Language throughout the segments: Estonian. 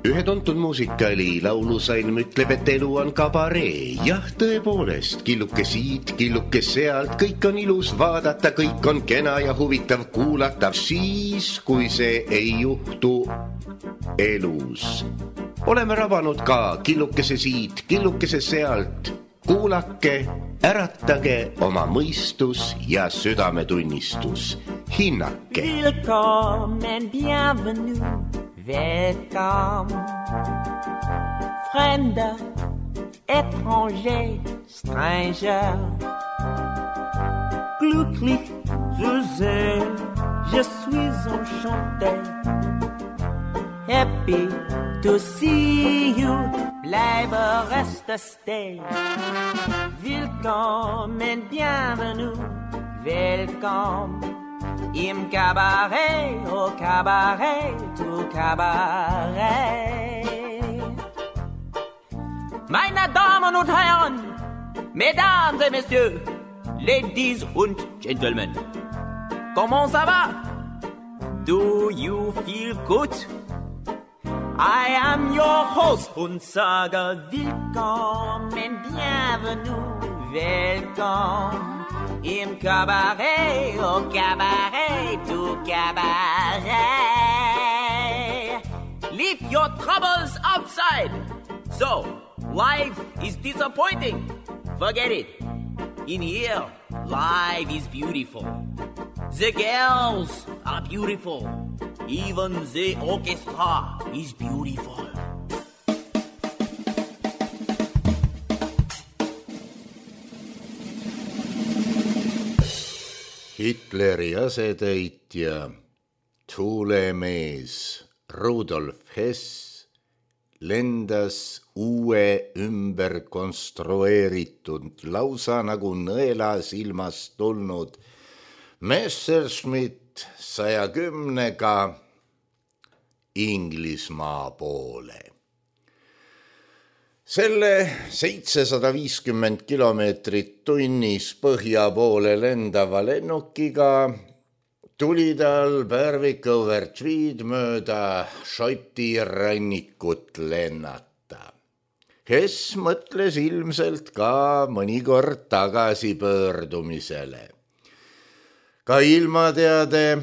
Ühe tuntud muusikali laulusalm ütleb, et elu on kabaree. Jah, tõepoolest, killuke siit, killuke sealt, kõik on ilus vaadata, kõik on kena ja huvitav kuulata, siis, kui see ei juhtu elus. Oleme rabanud ka killukese siit, killukese sealt. Kuulake, äratage oma mõistus ja südametunnistus. Hinnake. Willkommen, bienvenue, welcome. Fremder, étranger, stranger. Glücklich zu sehen, je suis enchanté. Happy to see you, bleibe reste stay. Willkommen, bienvenue, welcome. Im Cabaret, au Cabaret, tout Cabaret. Meine Damen und Herren, Mesdames et Messieurs, Ladies und Gentlemen, comment ça va? Do you feel good? I am your host und sage willkommen, bienvenue, welcome. Im Cabaret, au Cabaret, tout Cabaret. Leave your troubles outside. So, life is disappointing. Forget it. In here, life is beautiful. The girls are beautiful. Even the orchestra is beautiful. Hitleri asetäitja, tuulemees Rudolf Hess lendas uue ümber konstrueeritud, lausa nagu nõela silmast tulnud Messerschmitt 110-ga Inglismaa poole. Selle 750 kilomeetrit tunnis põhja poole lendava lennukiga tuli tal Berwick-over Tweed mööda Šoti rannikut lennata. Hess mõtles ilmselt ka mõnikord tagasipöördumisele. Ka ilmateade,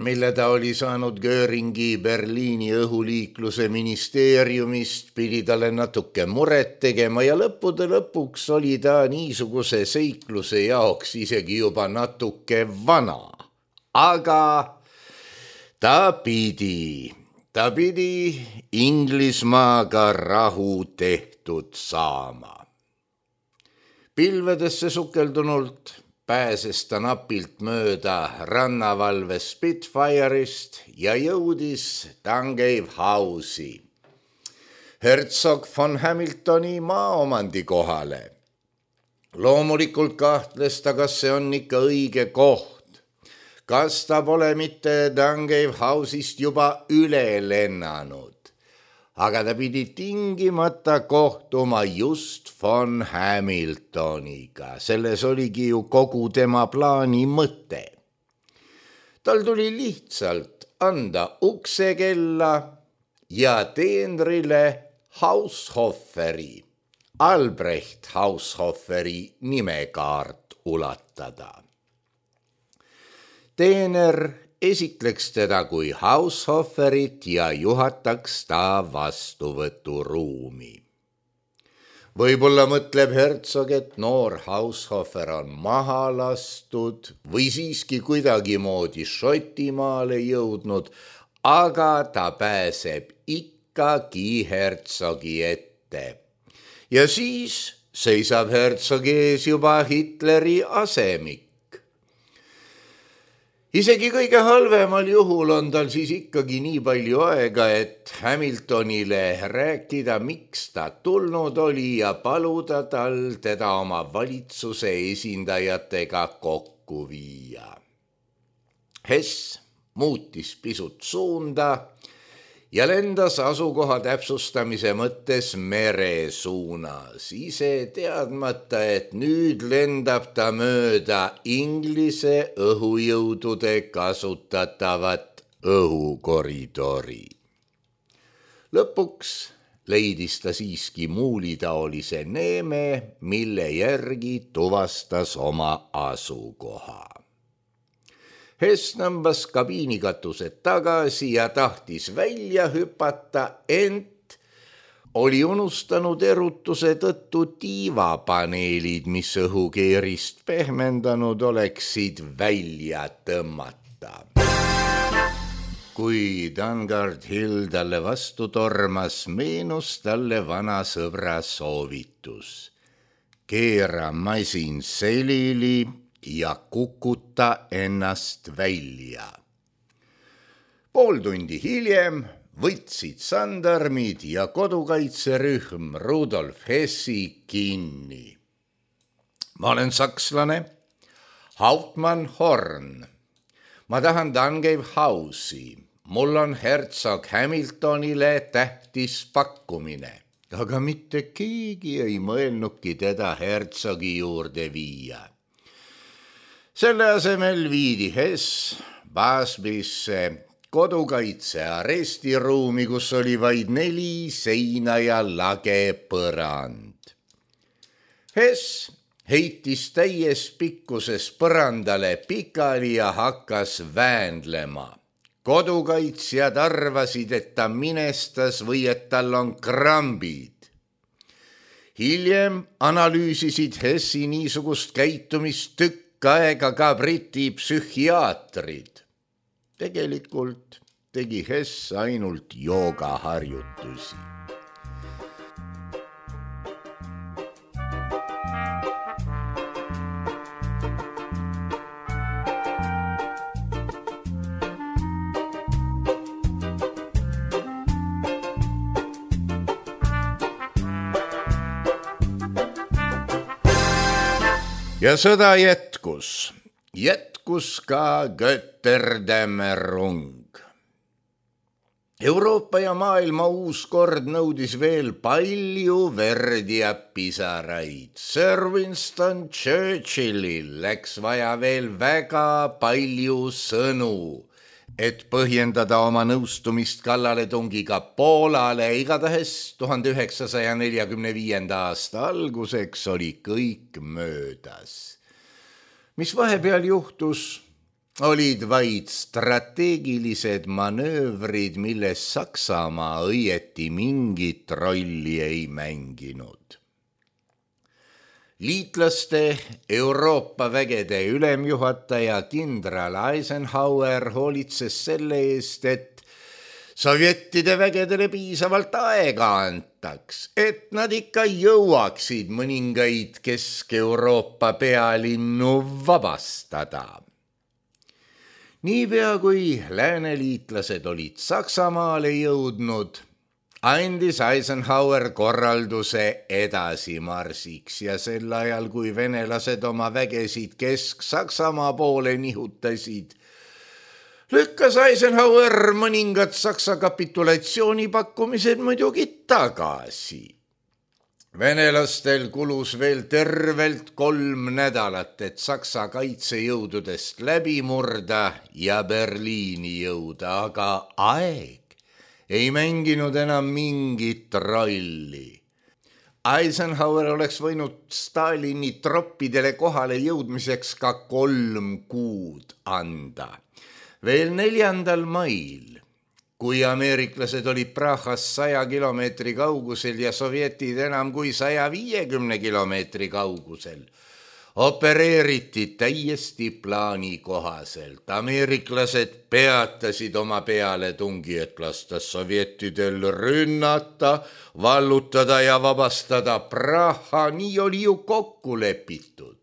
mille ta oli saanud Göringi Berliini õhuliikluse ministeeriumist, pidi talle natuke muret tegema ja lõppude lõpuks oli ta niisuguse seikluse jaoks isegi juba natuke vana. Aga ta pidi Inglismaaga rahu tehtud saama. Pilvedesse sukeldunult pääses ta napilt mööda rannavalve Spitfire'ist ja jõudis Tangave House'i, Herzog von Hamiltoni maaomandi kohale. Loomulikult kahtles ta, kas see on ikka õige koht, kas ta pole mitte Tangave House'ist juba üle lennanud. Aga ta pidi tingimata kohtuma just von Hamiltoniga. Selles oligi ju kogu tema plaani mõte. Tal tuli lihtsalt anda uksekella ja teenrile Haushoferi, Albrecht Haushoferi nimekaart ulatada. Teener esitleks teda kui Haushoferit ja juhataks ta vastuvõturuumi. Võib-olla mõtleb Herzog, et noor Haushofer on maha lastud või siiski kuidagimoodi Šotimaale jõudnud, aga ta pääseb ikkagi Herzogi ette. Ja siis seisab Herzogi ees juba Hitleri asemik. Isegi kõige halvemal juhul on tal siis ikkagi nii palju aega, et Hamiltonile rääkida, miks ta tulnud oli ja paluda tal teda oma valitsuse esindajatega kokku viia. Hess muutis pisut suunda ja lendas asukoha täpsustamise mõttes mere suunas, ise teadmata, et nüüd lendab ta mööda Inglise õhujõudude kasutatavat õhukoridori. Lõpuks leidis ta siiski muulitaolise neeme, mille järgi tuvastas oma asukoha. Hess tõmbas kabiinikatused tagasi ja tahtis välja hüpata, ent oli unustanud erutuse tõttu tiivapaneelid, mis õhukeerist pehmendanud oleksid, välja tõmmata. Kui Dungard Hill talle vastu tormas, meenus talle vana sõbra soovitus. Keera masin selili ja kukuta ennast välja. Pool tundi hiljem võtsid sandarmid ja kodukaitserühm Rudolf Hessi kinni. Ma olen sakslane, Hauptmann Horn. Ma tahan Dungave House'i. Mul on hertsog Hamiltonile tähtis pakkumine. Aga mitte keegi ei mõelnudki teda hertsogi juurde viia. Selle asemel viidi Hess Basbisse kodukaitse arestiruumi, kus oli vaid 4 seina ja lage põrand. Hess heitis täies pikkuses põrandale pikali ja hakkas väänlema. Kodukaitsjad arvasid, et ta minestas või et tal on krambid. Hiljem analüüsisid Hessi niisugust käitumist tükk aega ka Briti psühhiaatrid. Tegelikult tegi Hess ainult joogaharjutusi. Ja sõda jätkus ka Götterdämmerung. Euroopa ja maailma uus kord nõudis veel palju verd ja pisaraid. Sir Winston Churchillil läks vaja veel väga palju sõnu, et põhjendada oma nõustumist kallaletungiga Poolale. Igatahes 1945. aasta alguseks oli kõik möödas. Mis vahepeal juhtus, olid vaid strateegilised manöövrid, milles Saksamaa õieti mingit rolli ei mänginud. Liitlaste Euroopa vägede ülemjuhataja kindral Eisenhower hoolitses selle eest, et sovjettide vägedele piisavalt aega antaks, et nad ikka jõuaksid mõningaid Kesk-Euroopa pealinnu vabastada. Niipea kui lääneliitlased olid Saksamaale jõudnud, andis Eisenhower korralduse edasimarsiks ja sel ajal, kui venelased oma vägesid Kesk-Saksamaa poole nihutasid, lükkas Eisenhower mõningad Saksa kapitulatsioonipakkumised muidugi tagasi. Venelastel kulus veel tervelt 3 nädalat, et Saksa kaitsejõududest läbi murda ja Berliini jõuda, aga aeg ei mänginud enam mingit rolli. Eisenhower oleks võinud Stalini troppidele kohale jõudmiseks ka 3 kuud anda. Veel 4. mail, kui ameeriklased olid Prahast 100 kilomeetri kaugusel ja sovjetid enam kui 150 kilomeetri kaugusel, opereeriti täiesti plaani kohaselt. Ameeriklased peatasid oma pealetungi, et lasta sovjettidel rünnata, vallutada ja vabastada Praha. Nii oli ju kokku lepitud.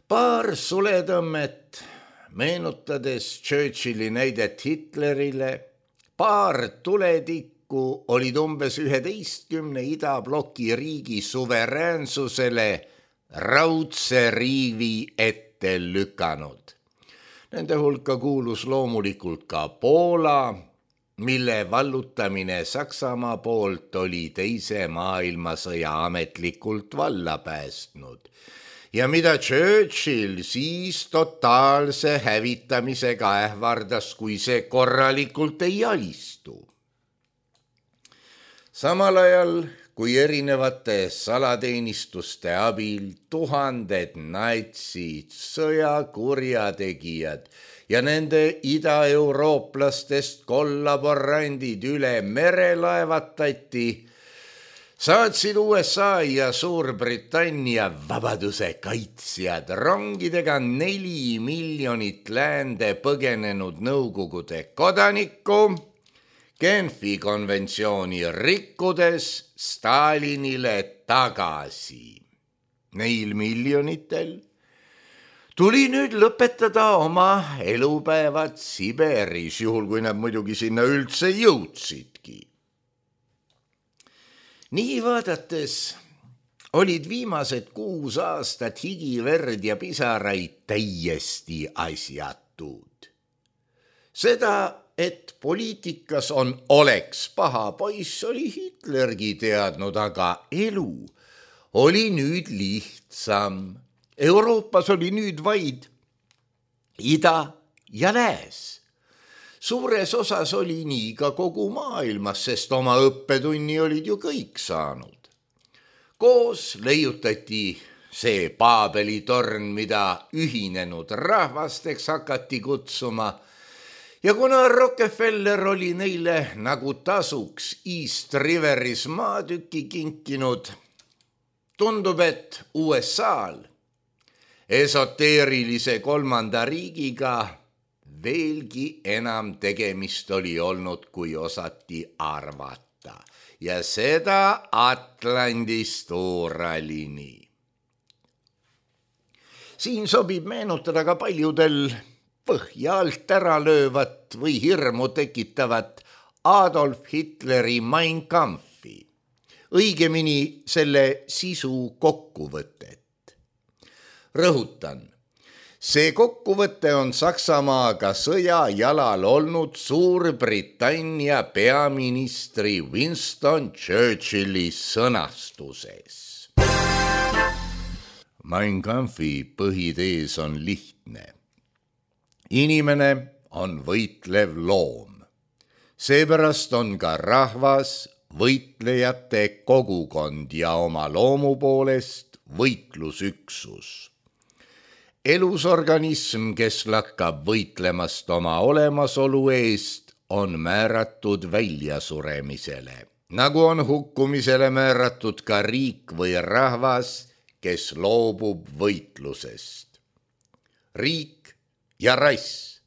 Paar suletõmmet meenutades Churchilli näidet Hitlerile, paar tuletikku olid umbes 11 idabloki riigi suveräänsusele raudse riivi ette lükanud. Nende hulka kuulus loomulikult ka Poola, mille vallutamine Saksamaa poolt oli 2. maailmasõja ametlikult valla päästnud. ja mida Churchill siis totaalse hävitamisega ähvardas, kui see korralikult ei alistu. Samal ajal, kui erinevate salateenistuste abil tuhanded natsid, sõjakurjategijad ja nende idaeurooplastest kollaborandid üle mere laevatati, saatsid USA ja Suurbritannia vabaduse kaitsjad rongidega 4 miljonit läände põgenenud Nõukogude kodanikku, Genfi konventsiooni rikkudes Stalinile tagasi. Neil miljonitel tuli nüüd lõpetada oma elupäevad Siberis, juhul kui nad muidugi sinna üldse jõudsidki. Nii vaadates olid viimased 6 aastat higi, verd ja pisaraid täiesti asjatud. Seda, et poliitikas on oleks paha poiss, oli Hitlergi teadnud, aga elu oli nüüd lihtsam. Euroopas oli nüüd vaid ida ja lääs. Suures osas oli nii ka kogu maailmas, sest oma õppetunni olid ju kõik saanud. Koos leiutati see Paabeli torn, mida ühinenud rahvasteks hakati kutsuma, ja kuna Rockefeller oli neile nagu tasuks East Riveris maatüki kinkinud, tundub, et USA-l esoteerilise kolmanda riigiga veelgi enam tegemist oli olnud, kui osati arvata, ja seda Atlandist Uuralini. Siin sobib meenutada ka paljudel põhja alt ära löövat või hirmu tekitavat Adolf Hitleri Mein Kampfi, õigemini selle sisu kokkuvõtet. Rõhutan, see kokkuvõte on Saksamaaga sõja jalal olnud Suurbritannia peaministri Winston Churchilli sõnastuses. Mein Kampfi põhitees on lihtne. Inimene on võitlev loom. Seepärast on ka rahvas võitlejate kogukond ja oma loomu poolest võitlusüksus. Elusorganism, kes lakkab võitlemast oma olemasolu eest, on määratud väljasuremisele, nagu on hukkumisele määratud ka riik või rahvas, kes loobub võitlusest. Riik ja rass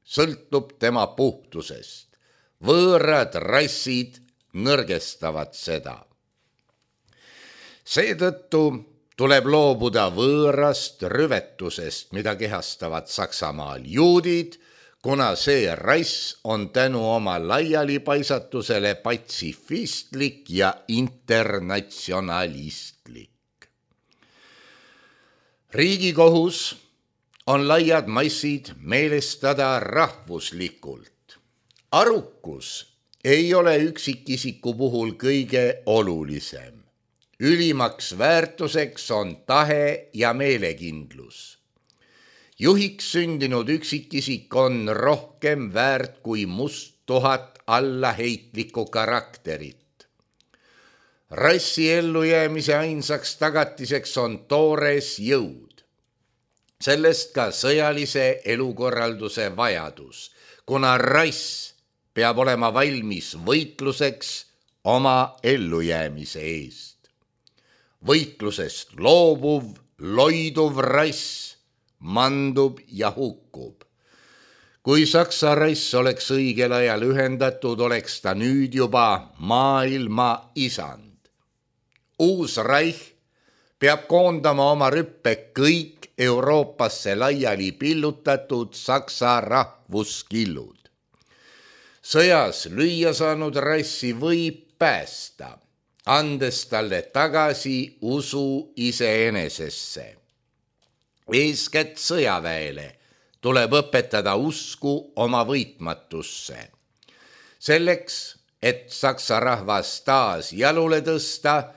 sõltub tema puhtusest. Võõrad rassid nõrgestavad seda. Seetõttu tuleb loobuda võõrast rüvetusest, mida kehastavad Saksamaal juudid, kuna see rass on tänu oma laialipaisatusele patsifistlik ja internatsionalistlik. Riigikohus on laiad massid meelestada rahvuslikult. Arukus ei ole üksikisiku puhul kõige olulisem. Ülimaks väärtuseks on tahe ja meelekindlus. Juhiks sündinud üksikisik on rohkem väärt kui must 1000 allaheitlikku karakterit. Rassi ellujäämise ainsaks tagatiseks on toores jõud. Sellest ka sõjalise elukorralduse vajadus, kuna rass peab olema valmis võitluseks oma ellujäämise eest. Võitlusest loobuv, loiduv rass mandub ja hukkub. Kui Saksa rass oleks õigel ajal ühendatud, oleks ta nüüd juba maailma isand. Uus Reich peab koondama oma rüppe kõik Euroopasse laiali pillutatud Saksa rahvuskillud. Sõjas lüüa saanud rassi võib päästa, andes talle tagasi usu iseenesesse. Eeskätt sõjaväele tuleb õpetada usku oma võitmatusse. Selleks, et Saksa rahvas taas jalule tõsta,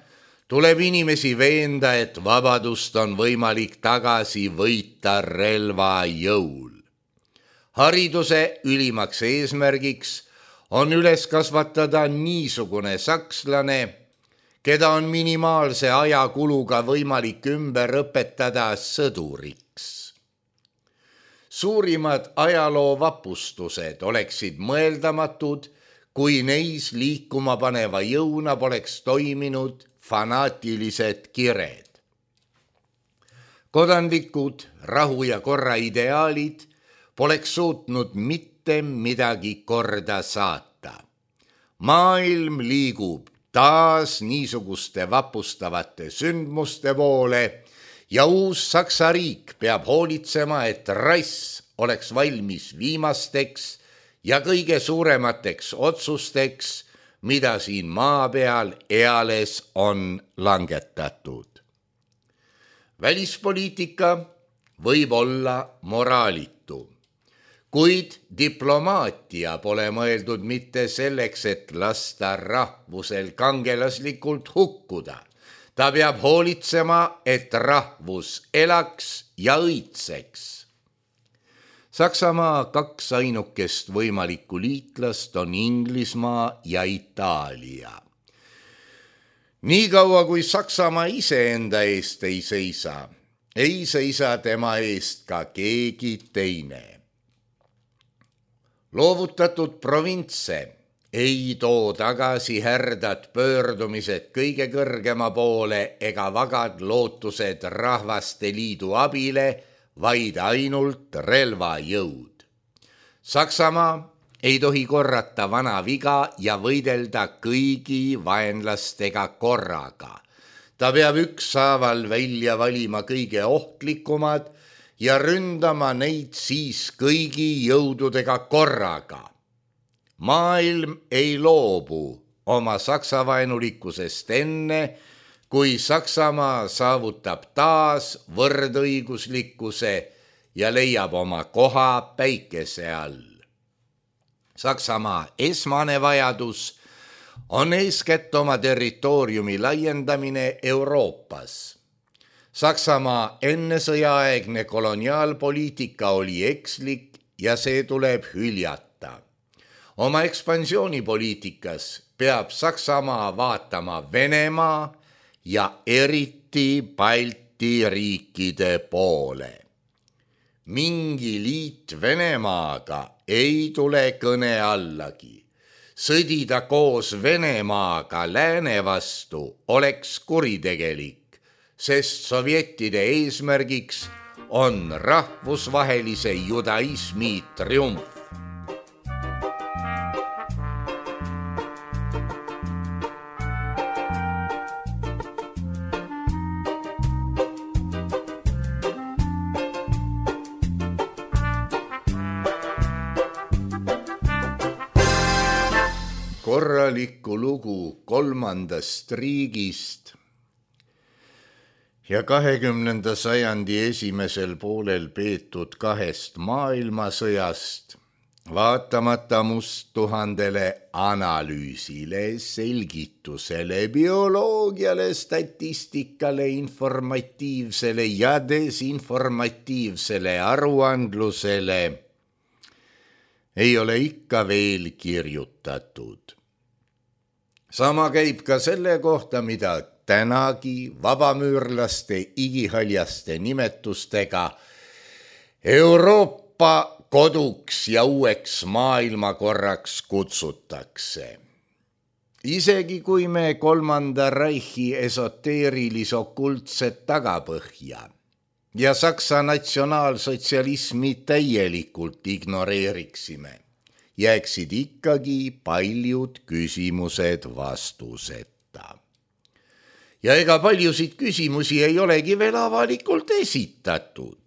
Tuleb inimesi veenda, et vabadust on võimalik tagasi võita relva jõul. Hariduse ülimaks eesmärgiks on üles kasvatada niisugune sakslane, keda on minimaalse ajakuluga võimalik ümber õpetada sõduriks. Suurimad ajaloovapustused oleksid mõeldamatud, kui neis liikuma paneva jõuna poleks toiminud fanaatilised kired. Kodanlikud rahu ja korra ideaalid poleks suutnud mitte midagi korda saata. Maailm liigub taas niisuguste vapustavate sündmuste poole ja uus Saksa riik peab hoolitsema, et rass oleks valmis viimasteks ja kõige suuremateks otsusteks, mida siin maa peal eales on langetatud. Välispoliitika võib olla moraalitu, kuid diplomaatia pole mõeldud mitte selleks, et lasta rahvusel kangelaslikult hukkuda. Ta peab hoolitsema, et rahvus elaks ja õitseks. Saksamaa 2 ainukest võimalikku liitlast on Inglismaa ja Itaalia. Niikaua kui Saksamaa iseenda eest ei seisa tema eest ka keegi teine. Loovutatud provintse ei too tagasi härdad pöördumised kõige kõrgema poole ega vagad lootused Rahvaste Liidu abile, vaid ainult relvajõud. Saksamaa ei tohi korrata vana viga ja võidelda kõigi vaenlastega korraga. Ta peab ükshaaval välja valima kõige ohtlikumad ja ründama neid siis kõigi jõududega korraga. Maailm ei loobu oma saksavaenulikkusest enne, kui Saksamaa saavutab taas võrdõiguslikkuse ja leiab oma koha päikese all. Saksamaa esmane vajadus on eeskätt oma territooriumi laiendamine Euroopas. Saksamaa ennesõjaaegne koloniaalpoliitika oli ekslik ja see tuleb hüljata. Oma ekspansioonipoliitikas peab Saksamaa vaatama Venemaa ja eriti Balti riikide poole. Mingi liit Venemaaga ei tule kõne allagi. Sõdida koos Venemaaga lääne vastu oleks kuritegelik, sest sovjettide eesmärgiks on rahvusvahelise judaismi triumf. Korralikku lugu 3. riigist ja 20. sajandi esimesel poolel peetud 2 maailmasõjast, vaatamata musttuhandele analüüsile, selgitusele, bioloogiale, statistikale, informatiivsele ja desinformatiivsele aruandlusele ei ole ikka veel kirjutatud. Sama käib ka selle kohta, mida tänagi vabamüürlaste igihaljaste nimetustega Euroopa koduks ja uueks maailmakorraks kutsutakse. Isegi kui me 3. Reichi esoteerilis-okultset tagapõhja ja Saksa natsionaalsotsialismi täielikult ignoreeriksime, jääksid ikkagi paljud küsimused vastuseta. Ja ega paljusid küsimusi ei olegi veel avalikult esitatud.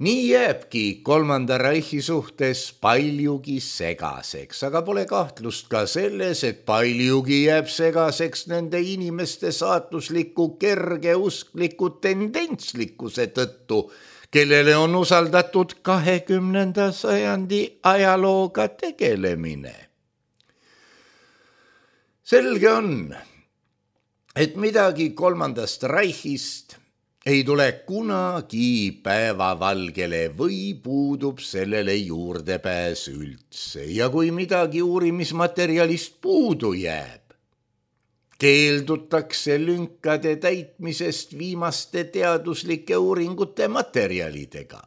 Nii jääbki 3. Reichi suhtes paljugi segaseks, aga pole kahtlust ka selles, et paljugi jääb segaseks nende inimeste saatusliku kergeuskliku tendentslikkuse tõttu, kellele on usaldatud 20. sajandi ajalooga tegelemine. Selge on, et midagi kolmandast Reichist ei tule kunagi päevavalgele või puudub sellele juurdepääs üldse ja kui midagi uurimismaterjalist puudu jääb, keeldutakse lünkade täitmisest viimaste teaduslike uuringute materjalidega.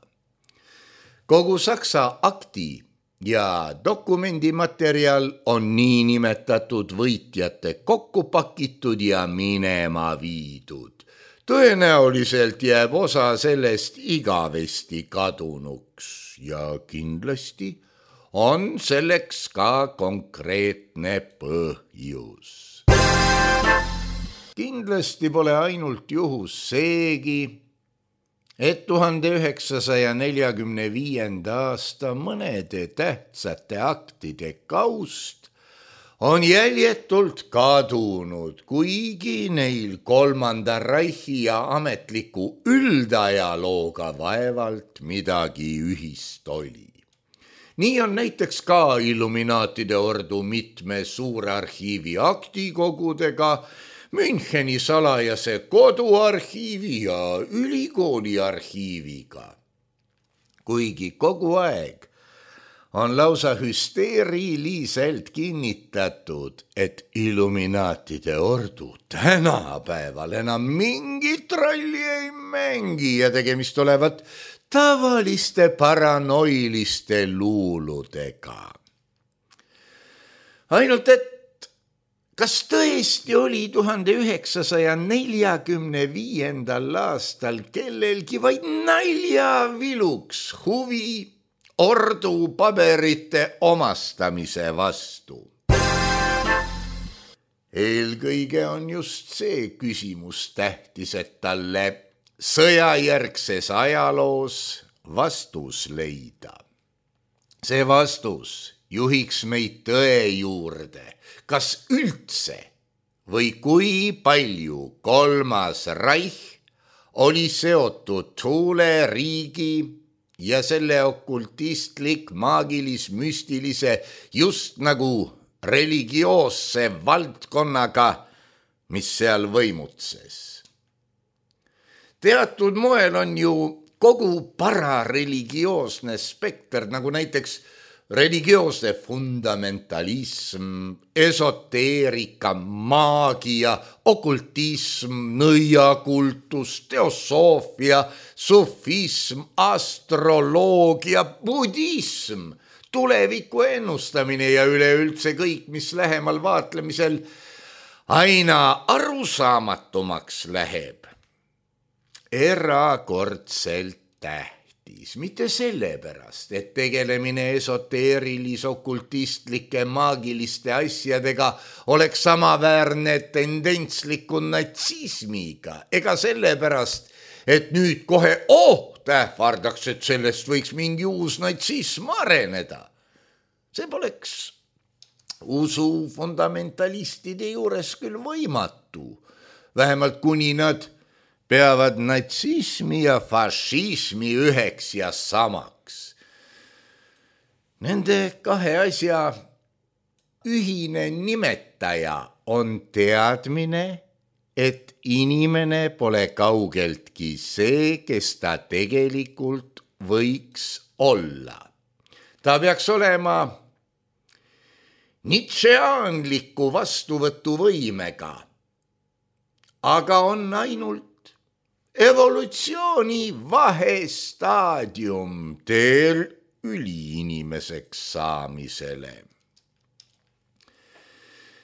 Kogu Saksa akti ja dokumendimaterjal on niinimetatud võitjate kokku pakitud ja minema viidud. Tõenäoliselt jääb osa sellest igavesti kadunuks ja kindlasti on selleks ka konkreetne põhjus. Kindlasti pole ainult juhus seegi, et 1945. aasta mõnede tähtsate aktide kaust on jäljetult kadunud, kuigi neil kolmanda Reichi ja ametliku üldajalooga vaevalt midagi ühist oli. Nii on näiteks ka Illuminaatide ordu mitme suurarhiivi aktikogudega, Müncheni salajase koduarhiivi ja ülikooli arhiiviga. Kuigi kogu aeg on lausa hüsteeriliselt kinnitatud, et Illuminaatide ordu tänapäeval enam mingit rolli ei mängi ja tegemist olevat tavaliste paranoiliste luuludega. Ainult et kas tõesti oli 1945. aastal kellelgi vaid naljaviluks huvi ordu paberite omastamise vastu? Eelkõige on just see küsimus tähtis, et talle sõjajärgses ajaloos vastus leida. See vastus juhiks meid tõe juurde, kas üldse või kui palju kolmas Reich oli seotud Thule riigi ja selle okultistlik, maagilis-müstilise, just nagu religioosse valdkonnaga, mis seal võimutses. Teatud moel on ju kogu parareligioosne spekter, nagu näiteks religioosne fundamentalism, esoteerika, maagia, okultism, nõiakultus, teosoofia, sufism, astroloogia, budism, tuleviku ennustamine ja üleüldse kõik, mis lähemal vaatlemisel aina arusaamatumaks läheb. Erakordselt tähtis, mitte sellepärast, et tegelemine esoteerilis-okultistlike maagiliste asjadega oleks samaväärne tendentsliku natsismiga, ega sellepärast, et nüüd kohe ähvardaks, et sellest võiks mingi uus natsism areneda. See poleks usu fundamentalistide juures küll võimatu, vähemalt kuni nad peavad natsismi ja fašismi üheks ja samaks. Nende kahe asja ühine nimetaja on teadmine, et inimene pole kaugeltki see, kes ta tegelikult võiks olla. Ta peaks olema Nietzscheanliku vastuvõtuvõimega, aga on ainult evolutsiooni vahestaadium teel üliinimeseks saamisele.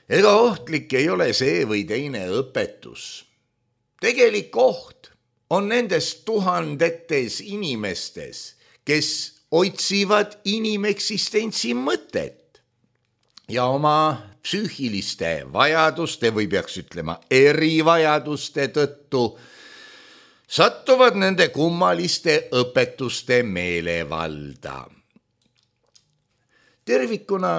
Ega ohtlik ei ole see või teine õpetus. Tegelik oht on nendes tuhandetes inimestes, kes otsivad inimeksistentsi mõtet ja oma psüühiliste vajaduste või peaks ütlema erivajaduste tõttu sattuvad nende kummaliste õpetuste meelevalda. Tervikuna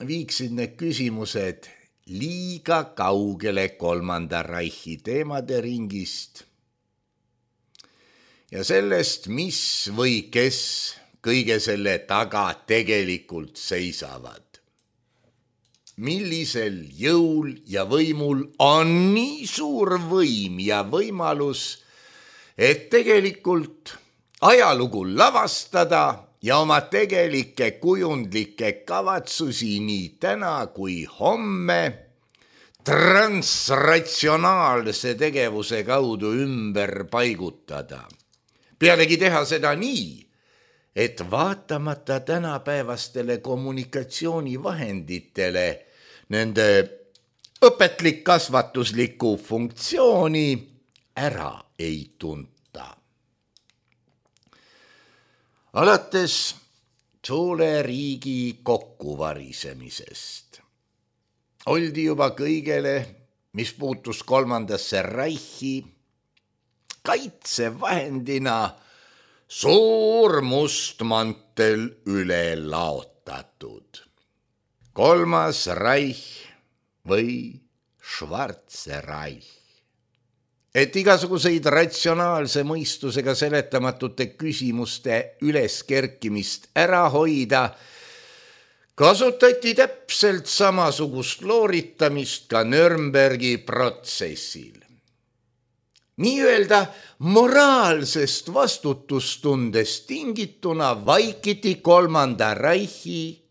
viiksid need küsimused liiga kaugele kolmanda Reichi teemade ringist ja sellest, mis või kes kõige selle taga tegelikult seisavad. millisel jõul ja võimul on nii suur võim ja võimalus, et tegelikult ajalugu lavastada ja oma tegelikke kujundlikke kavatsusi nii täna kui homme transratsionaalse tegevuse kaudu ümber paigutada. Pealegi teha seda nii, et vaatamata tänapäevastele kommunikatsioonivahenditele nende õpetlik-kasvatuslikku funktsiooni ära ei tunta. Alates Thule riigi kokkuvarisemisest oldi juba kõigele, mis puutus kolmandasse Reichi, kaitsevahendina suur must mantel üle laotatud. Kolmas Reich või Schwarze Reich. Et igasuguseid ratsionaalse mõistusega seletamatute küsimuste üleskerkimist ära hoida, kasutati täpselt samasugust looritamist ka Nürnbergi protsessil. Nii-öelda moraalsest vastutustundest tingituna vaikiti kolmanda Reichi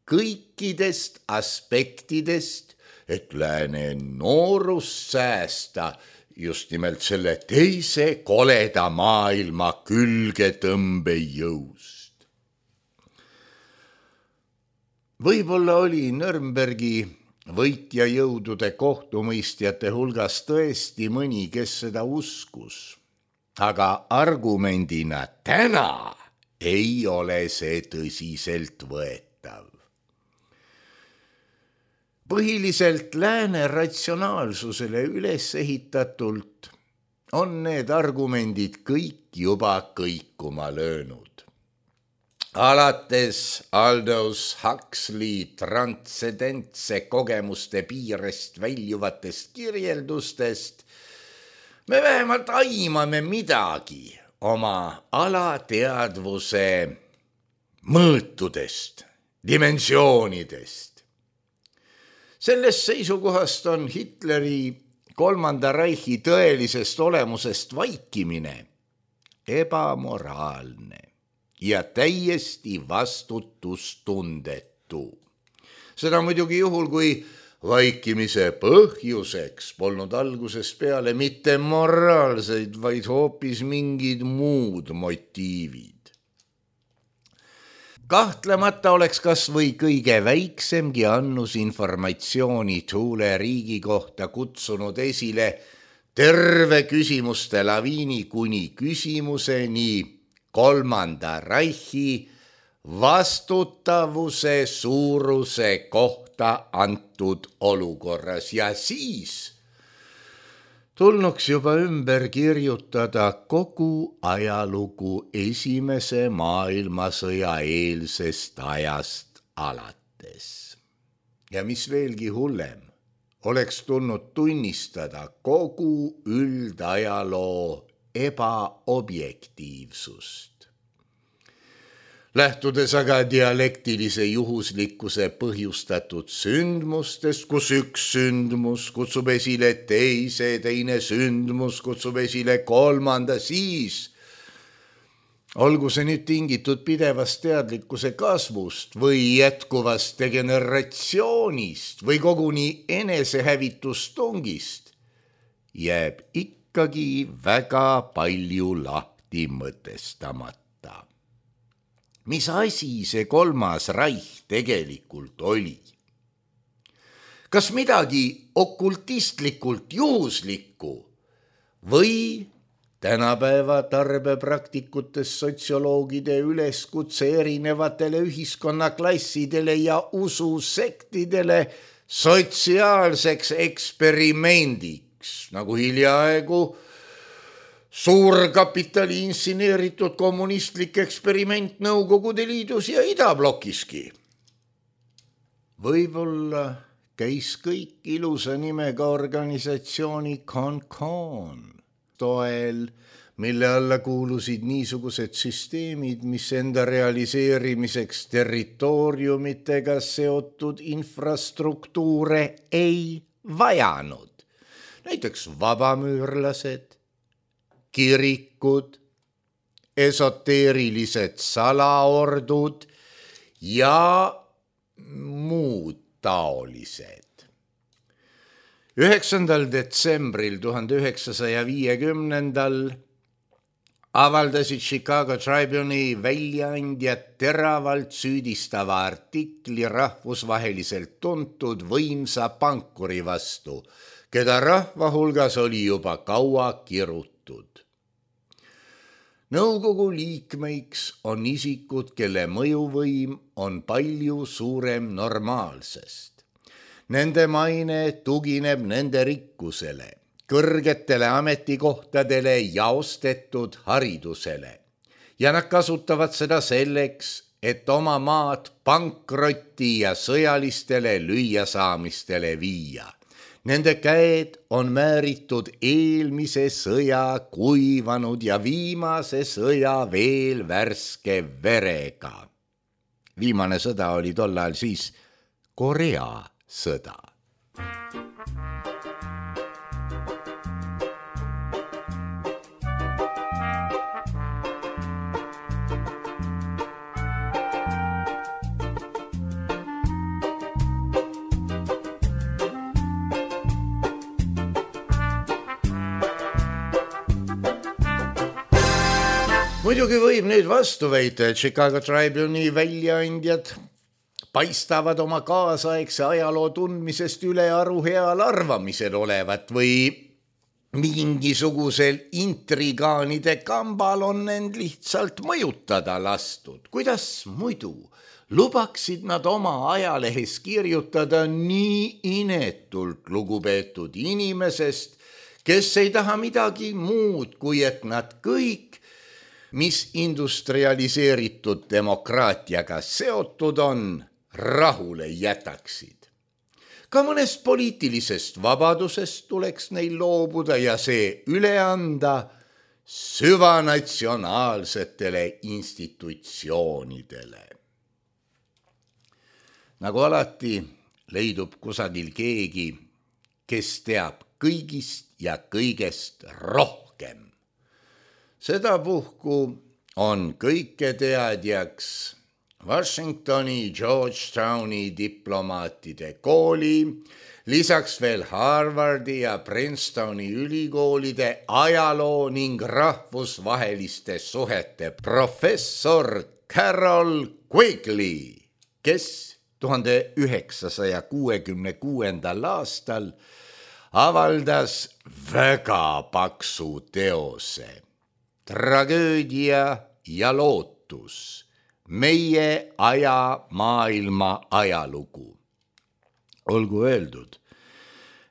kõikidest aspektidest, et lääne noorust säästa just nimelt selle teise koleda maailma külgetõmbejõust. Võib-olla oli Nürnbergi võitjajõudude kohtumõistjate hulgas tõesti mõni, kes seda uskus, aga argumendina täna ei ole see tõsiselt võetav. Põhiliselt lääne ratsionaalsusele üles ehitatult on need argumendid kõik juba kõikuma löönud. Alates Aldous Huxley transcendentse kogemuste piirest väljuvatest kirjeldustest me vähemalt aimame midagi oma alateadvuse mõõtudest, dimensioonidest. Sellest seisukohast on Hitleri kolmanda Reichi tõelisest olemusest vaikimine ebamoraalne ja täiesti vastutustundetu. Seda muidugi juhul, kui vaikimise põhjuseks polnud algusest peale mitte moraalseid, vaid hoopis mingid muud motiivid. Kahtlemata oleks kas või kõige väiksemgi annus informatsiooni Thule riigi kohta kutsunud esile terve küsimuste laviini kuni küsimuseni kolmanda Reichi vastutavuse suuruse kohta antud olukorras ja siis tulnuks juba ümber kirjutada kogu ajalugu esimese maailmasõja eelsest ajast alates. Ja mis veelgi hullem, oleks tulnud tunnistada kogu üldajaloo ebaobjektiivsust. Lähtudes aga dialektilise juhuslikkuse põhjustatud sündmustest, kus üks sündmus kutsub esile teise, teine sündmus kutsub esile kolmanda, siis olgu see nüüd tingitud pidevast teadlikkuse kasvust või jätkuvast degeneratsioonist või koguni enesehävitustungist, jääb ikkagi väga palju lahti mõtestamata. Mis asi see kolmas Reich tegelikult oli? Kas midagi okultistlikult juhuslikku või tänapäeva tarbepraktikutes sotsioloogide üleskutse erinevatele ühiskonnaklassidele ja ususektidele sotsiaalseks eksperimendiks, nagu hiljaaegu suurkapitali insineeritud kommunistlik eksperiment Nõukogude Liidus ja Idablokiski. Võib-olla käis kõik ilusa nimega organisatsiooni CONCON toel mille alla kuulusid niisugused süsteemid, mis enda realiseerimiseks territooriumitega seotud infrastruktuure ei vajanud. Näiteks vabamüürlased, kirikud, esoteerilised salaordud ja muud taolised. 9. detsembril 1950 avaldasid Chicago Tribune'i väljaandjad teravalt süüdistava artikli rahvusvaheliselt tuntud võimsa pankuri vastu, keda rahva hulgas oli juba kaua kirutud. Nõukogu liikmeiks on isikud, kelle mõjuvõim on palju suurem normaalsest. Nende maine tugineb nende rikkusele, kõrgetele ametikohtadele ja ostetud haridusele. Ja nad kasutavad seda selleks, et oma maad pankrotti ja sõjalistele lüüasaamistele viia. Nende käed on määritud eelmise sõja kuivanud ja viimase sõja veel värske verega. Viimane sõda oli tollal siis Korea sõda. Muidugi võib nüüd vastu väita, et Chicago Tribune'i väljaandjad paistavad oma kaasaegse ajaloo tundmisest ülearu heal arvamisel olevat või mingisugusel intrigaanide kambal on end lihtsalt mõjutada lastud. Kuidas muidu lubaksid nad oma ajalehes kirjutada nii inetult lugupeetud inimesest, kes ei taha midagi muud, kui et nad kõik, mis industrialiseeritud demokraatiaga seotud on, rahule jätaksid. Ka mõnest poliitilisest vabadusest tuleks neil loobuda ja see üle anda süvanatsionaalsetele institutsioonidele. Nagu alati leidub kusagil keegi, kes teab kõigist ja kõigest rohkem. Sedapuhku on kõiketeadjaks Washingtoni, Georgetowni diplomaatide kooli, lisaks veel Harvardi ja Princetoni ülikoolide ajaloo ning rahvusvaheliste suhete professor Carol Quigley, kes 1966. aastal avaldas väga paksu teose Tragöödia ja lootus, meie aja maailma ajalugu. Olgu öeldud,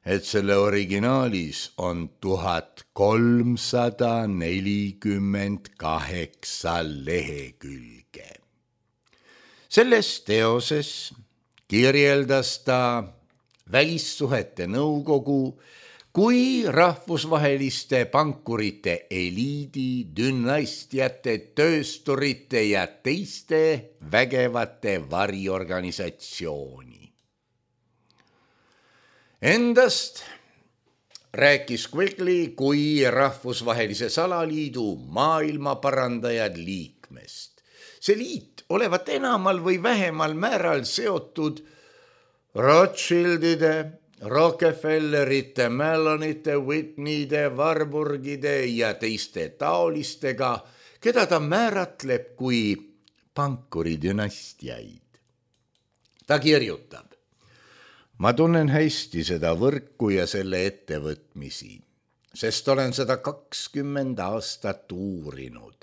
et selle originaalis on 1348 lehekülge. Selles teoses kirjeldas ta välissuhete nõukogu kui rahvusvaheliste pankurite eliidi, dünastiate, töösturite ja teiste vägevate variorganisatsiooni. Endast rääkis Quigley kui rahvusvahelise salaliidu maailmaparandajad liikmest. See liit olevat enamal või vähemal määral seotud Rothschildide, Rockefellerite, Mellonite, Whitneyde, Warburgide ja teiste taolistega, keda ta määratleb kui pankuridünastiaid. Ta kirjutab: ma tunnen hästi seda võrku ja selle ettevõtmisi, sest olen seda 20 aastat uurinud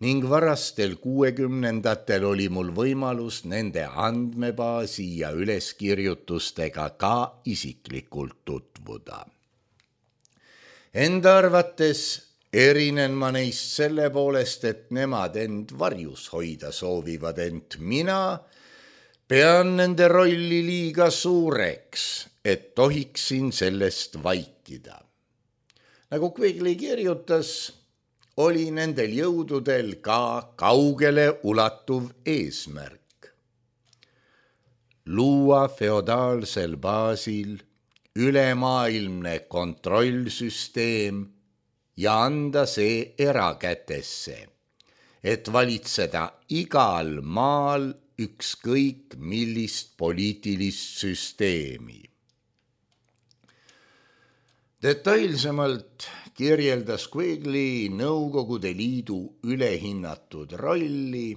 ning varastel 60-ndatel oli mul võimalus nende andmebaasi ja üleskirjutustega ka isiklikult tutvuda. Enda arvates erinen ma neist selle poolest, et nemad end varjus hoida soovivad, ent mina pean nende rolli liiga suureks, et tohiksin sellest vaikida. Nagu Quigley kirjutas, oli nendel jõududel ka kaugele ulatuv eesmärk. Luua feodaalsel baasil ülemaailmne kontrollsüsteem ja anda see erakätesse, et valitseda igal maal ükskõik millist poliitilist süsteemi. Detailsemalt kirjeldas Quigley Nõukogude Liidu ülehinnatud rolli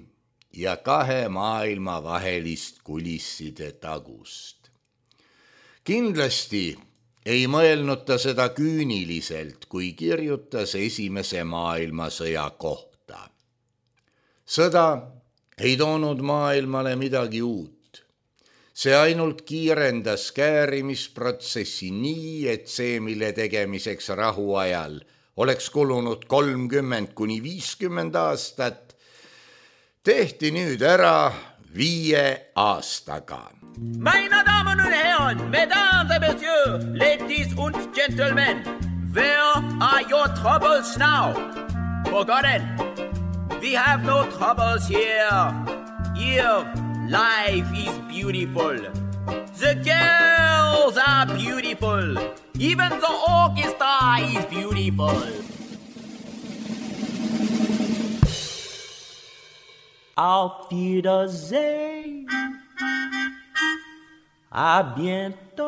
ja kahe maailma vahelist kulisside tagust. Kindlasti ei mõelnud ta seda küüniliselt, kui kirjutas Esimese maailmasõja kohta. Sõda ei toonud maailmale midagi uut. See ainult kiirendas käärimisprotsessi nii, et see, mille tegemiseks rahuajal oleks kulunud 30–50 aastat, tehti nüüd ära 5 aastaga. Meine Damen und Herren, Mesdames et Messieurs, ladies und gentlemen, where are your troubles now? Forgotten. We have no troubles here. Here, life is beautiful. The girls are beautiful. Even the orchestra is beautiful. Auf Wiedersehen. À bientôt.